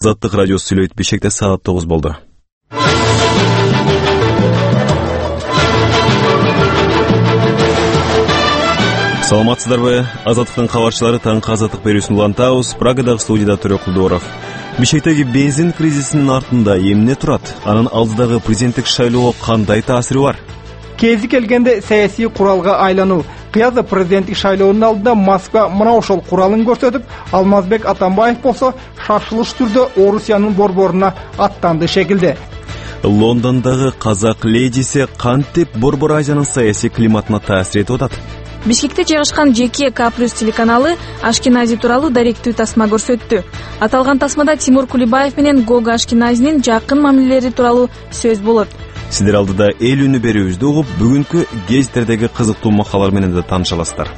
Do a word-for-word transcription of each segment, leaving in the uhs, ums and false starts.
Азаттык радиосу сүйлөйт. Бишкекте саат тогуз болду. Саламатсыздарбы? Азаттыктын кабарчылары таңкы азаттык берүүсүн улантабыз. Прагадагы студияда Төрөк Кулдууров. Бишкектеги бензин кризисинин артында эмне турат? Анын алдыдагы президенттик шайлоого кандай таасири бар? Кези келгенде саясий куралга айлануу. Кыязда президенттик шайлоонун алдында Москва мына ошол куралын көрсөтүп, Алмазбек Атамбаев болсо шашылыш түрдө Орусиянын борборуна аттанды шекилде. Лондондогу казак ледиси кантип Борбор Азиянын саясий климатына таасир этип атат? Бишкекте жайгашкан жеке К плюс телеканалы Ашкенази тууралуу даректүү тасма көрсөттү. Аталган тасмада Тимур Кулибаев менен Гога Ашкеназинин жакын мамилелери тууралуу сөз болот. Сиздер алдыда эл үнү берүүбүздү угуп, бүгүнкү гезиттердеги кызыктуу макалалар менен да тааныша аласыздар.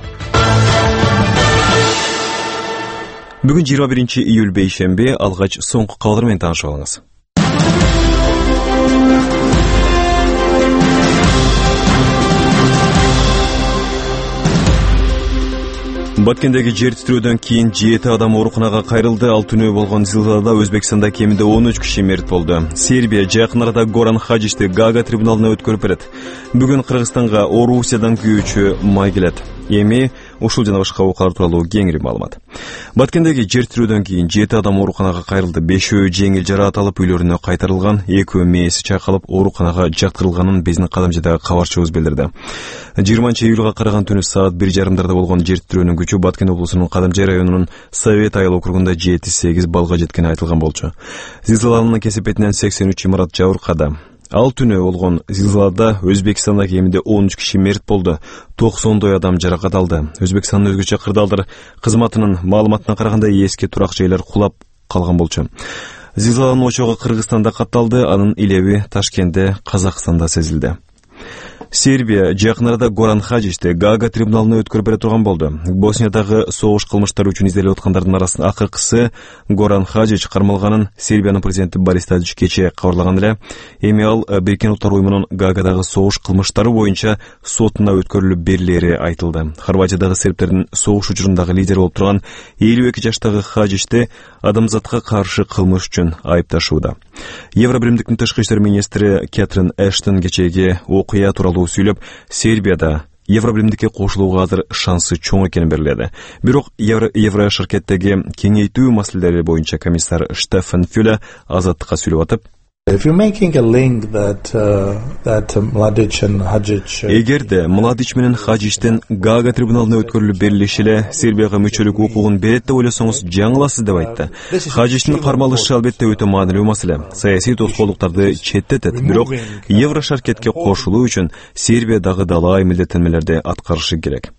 Бүгүн жыйырма биринчи июль бейшемби, алгач соңку кабарлар менен таанышып алыңыз. Баткендеги жер титирөөдөн кийин жети адам ооруканага кайрылды. Ал түнөө болгон зилзалада Өзбекстанда кеминде он үч киши мерт болду. Сербия жакын арада Горан Хаджичти Гага трибуналына өткөрүп берет. Бүгүн Кыргызстанга Орусиядан күйүүчү май келет. Эми ушул жана башка окуялар тууралуу кеңири маалымат. Баткендеги жер титирөөдөн кийин жети адам ооруканага кайрылды. Бешөө жеңил жараат алып үйлөрүнө кайтарылган, экөө мээси чайкалып ооруканага жаткырылганын биздин Кадамжыдагы кабарчыбыз билдирди. жыйырманчы июлга караган түнү саат бир жарымдарда болгон жер титирөөнүн күчү Баткен облусунун Кадамжай районунун Совет айыл округунда жети сегиз баллга жеткени айтылган болчу. Зилзаланын кесепетинен сексен үч имарат жабыркады. Ал түнөө болгон зилзалада Өзбекстанда кеминде он үч киши мерт болду. токсондой адам жаракат алды. Өзбекстандын өзгөчө кырдаалдар кызматынын маалыматына караганда эски турак жайлар кулап калган болчу. Зилзаланын очогу Кыргызстанда катталды, анын илеби Ташкентте, Казакстанда сезилди. Сербия жакын арада Горан Хаджичти Гага трибуналына өткөрүп бере турган болду. Босниядагы согуш кылмыштары үчүн изделип аткандардын арасында акыркысы Горан Хаджич кармалганын Сербиянын президенти Борис Тадич кечээ кабарлаган эле. Эми ал Бириккен Улуттар уюмунун Гагадагы согуш кылмыштары боюнча сотуна өткөрүлүп берилери айтылды. Хорватиядагы сербтердин согуш учурундагы лидери болуп турган элүү эки жаштагы Хаджичти адамзатка каршы кылмыш үчүн айыпташууда. Евробиримдиктин тышкы иштер министри Кэтрин Эштон кечээги окуя тууралуу сүйлөп, Сербияда Евробиримдикке кошулууга азыр шансы чоң экенин белгиледи. Бирок Евро шаркеттеги кеңейтүү маселелери боюнча комиссар Штефан Фюле азаттыкка сүйлөп атып, эгерде Младич менен Хаджичтин Гага трибуналына өткөрүлүп берилиши эле Сербияга мүчөлүк укугун берет деп ойлосоңуз жаңыласыз деп айтты. Хаджичтин кармалышы албетте өтө маанилүү маселе. Саясий тоскоолдуктарды четтетет. Бирок Евро шаркетке кошулуу үчүн Сербия дагы далай милдеттенмелерди аткарышы керек.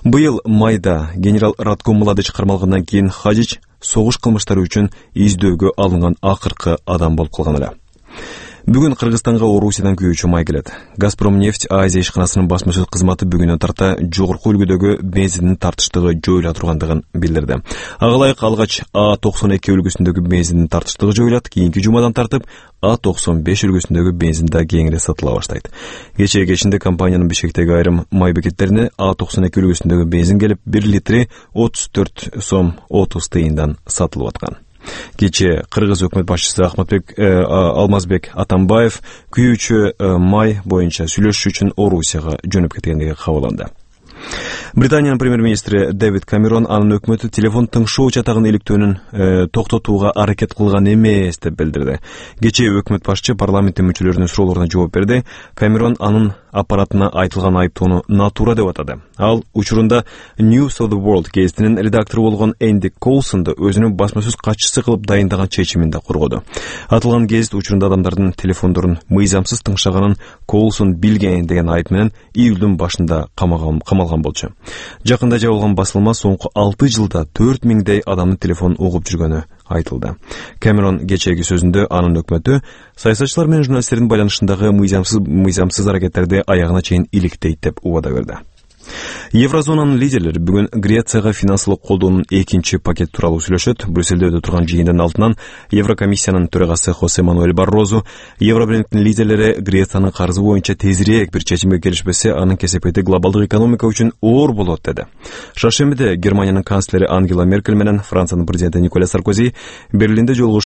Быйыл майда генерал Радко Младич кармалгандан кийин Хаджич согуш кылмыштары үчүн издөөгө алынган акыркы адам болуп калган эле. Бүгүн Кыргызстанга Орусиядан күйүүчү май келет. Газпром нефть Азия ишканасынын басма-сөз кызматы бүгүнөн тарта жогорку үлгүдөгү бензиндин тартыштыгы жоюла тургандыгын билдирди. Ага ылайык алгач А токсон эки үлгүсүндөгү бензиндин тартыштыгы жоюлат, кийинки жумадан тартып А токсон беш үлгүсүндөгү бензин да кеңири сатыла баштайт. Кечээ кечинде компаниянын Бишкектеги айрым май бекеттерине А токсон эки үлгүсүндөгү бензин келип бир литри отуз төрт сом отуз тыйындан сатылып аткан. Кечээ Кыргыз өкмөт башчысы Ахматбек э, Алмазбек Атамбаев күйүүчү э, май боюнча сүйлөшүү үчүн Орусияга жөнөп кеткендиги кабарланды. Британиянын премьер-министри Дэвид Камерон анын өкмөтү телефон тыңшоо чатагын иликтөөнүн э, токтотууга аракет кылган эмес деп билдирди. Кечээ өкмөт башчы парламенттин мүчөлөрүнүн суроолоруна жооп берди. Камерон анын аппаратына айтылган айыптоону натура деп атады. Ал учурунда News of the World гезитинин редактору болгон Энди Колсонду өзүнүн басма-сөз катчысы кылып дайындаган чечимин да коргоду. Атылган гезит учурунда адамдардын телефондорун мыйзамсыз тыңшаганын Колсон билген деген айып менен июлдун башында камалган камалган болчу. Жакында жабылган басылма соңку алты жылда төрт миңдей адамдын телефонун угуп жүргөнү айтылды. Камерон кечээги сөзүндө анын өкмөтү саясатчылар менен журналисттердин байланышындагы мыйзамсыз мыйзамсыз аракеттерди аягына чейин иликтейт деп убада берди. Еврозонанын лидерлери бүгүн Грецияга финансылык колдоонун экинчи пакет тууралуу сүйлөшөт. Брюссельде өтө турган жыйындын алдынан Еврокомиссиянын төрагасы Хосе Мануэль Баррозу Евробиримдиктин лидерлери Грециянын карызы боюнча тезирээк бир чечимге келишпесе, анын кесепети глобалдык экономика үчүн оор болот деди. Шаршембиде Германиянын канцлери Ангела Меркель менен Франциянын президенти Николя Саркози Берлинде жолугушуп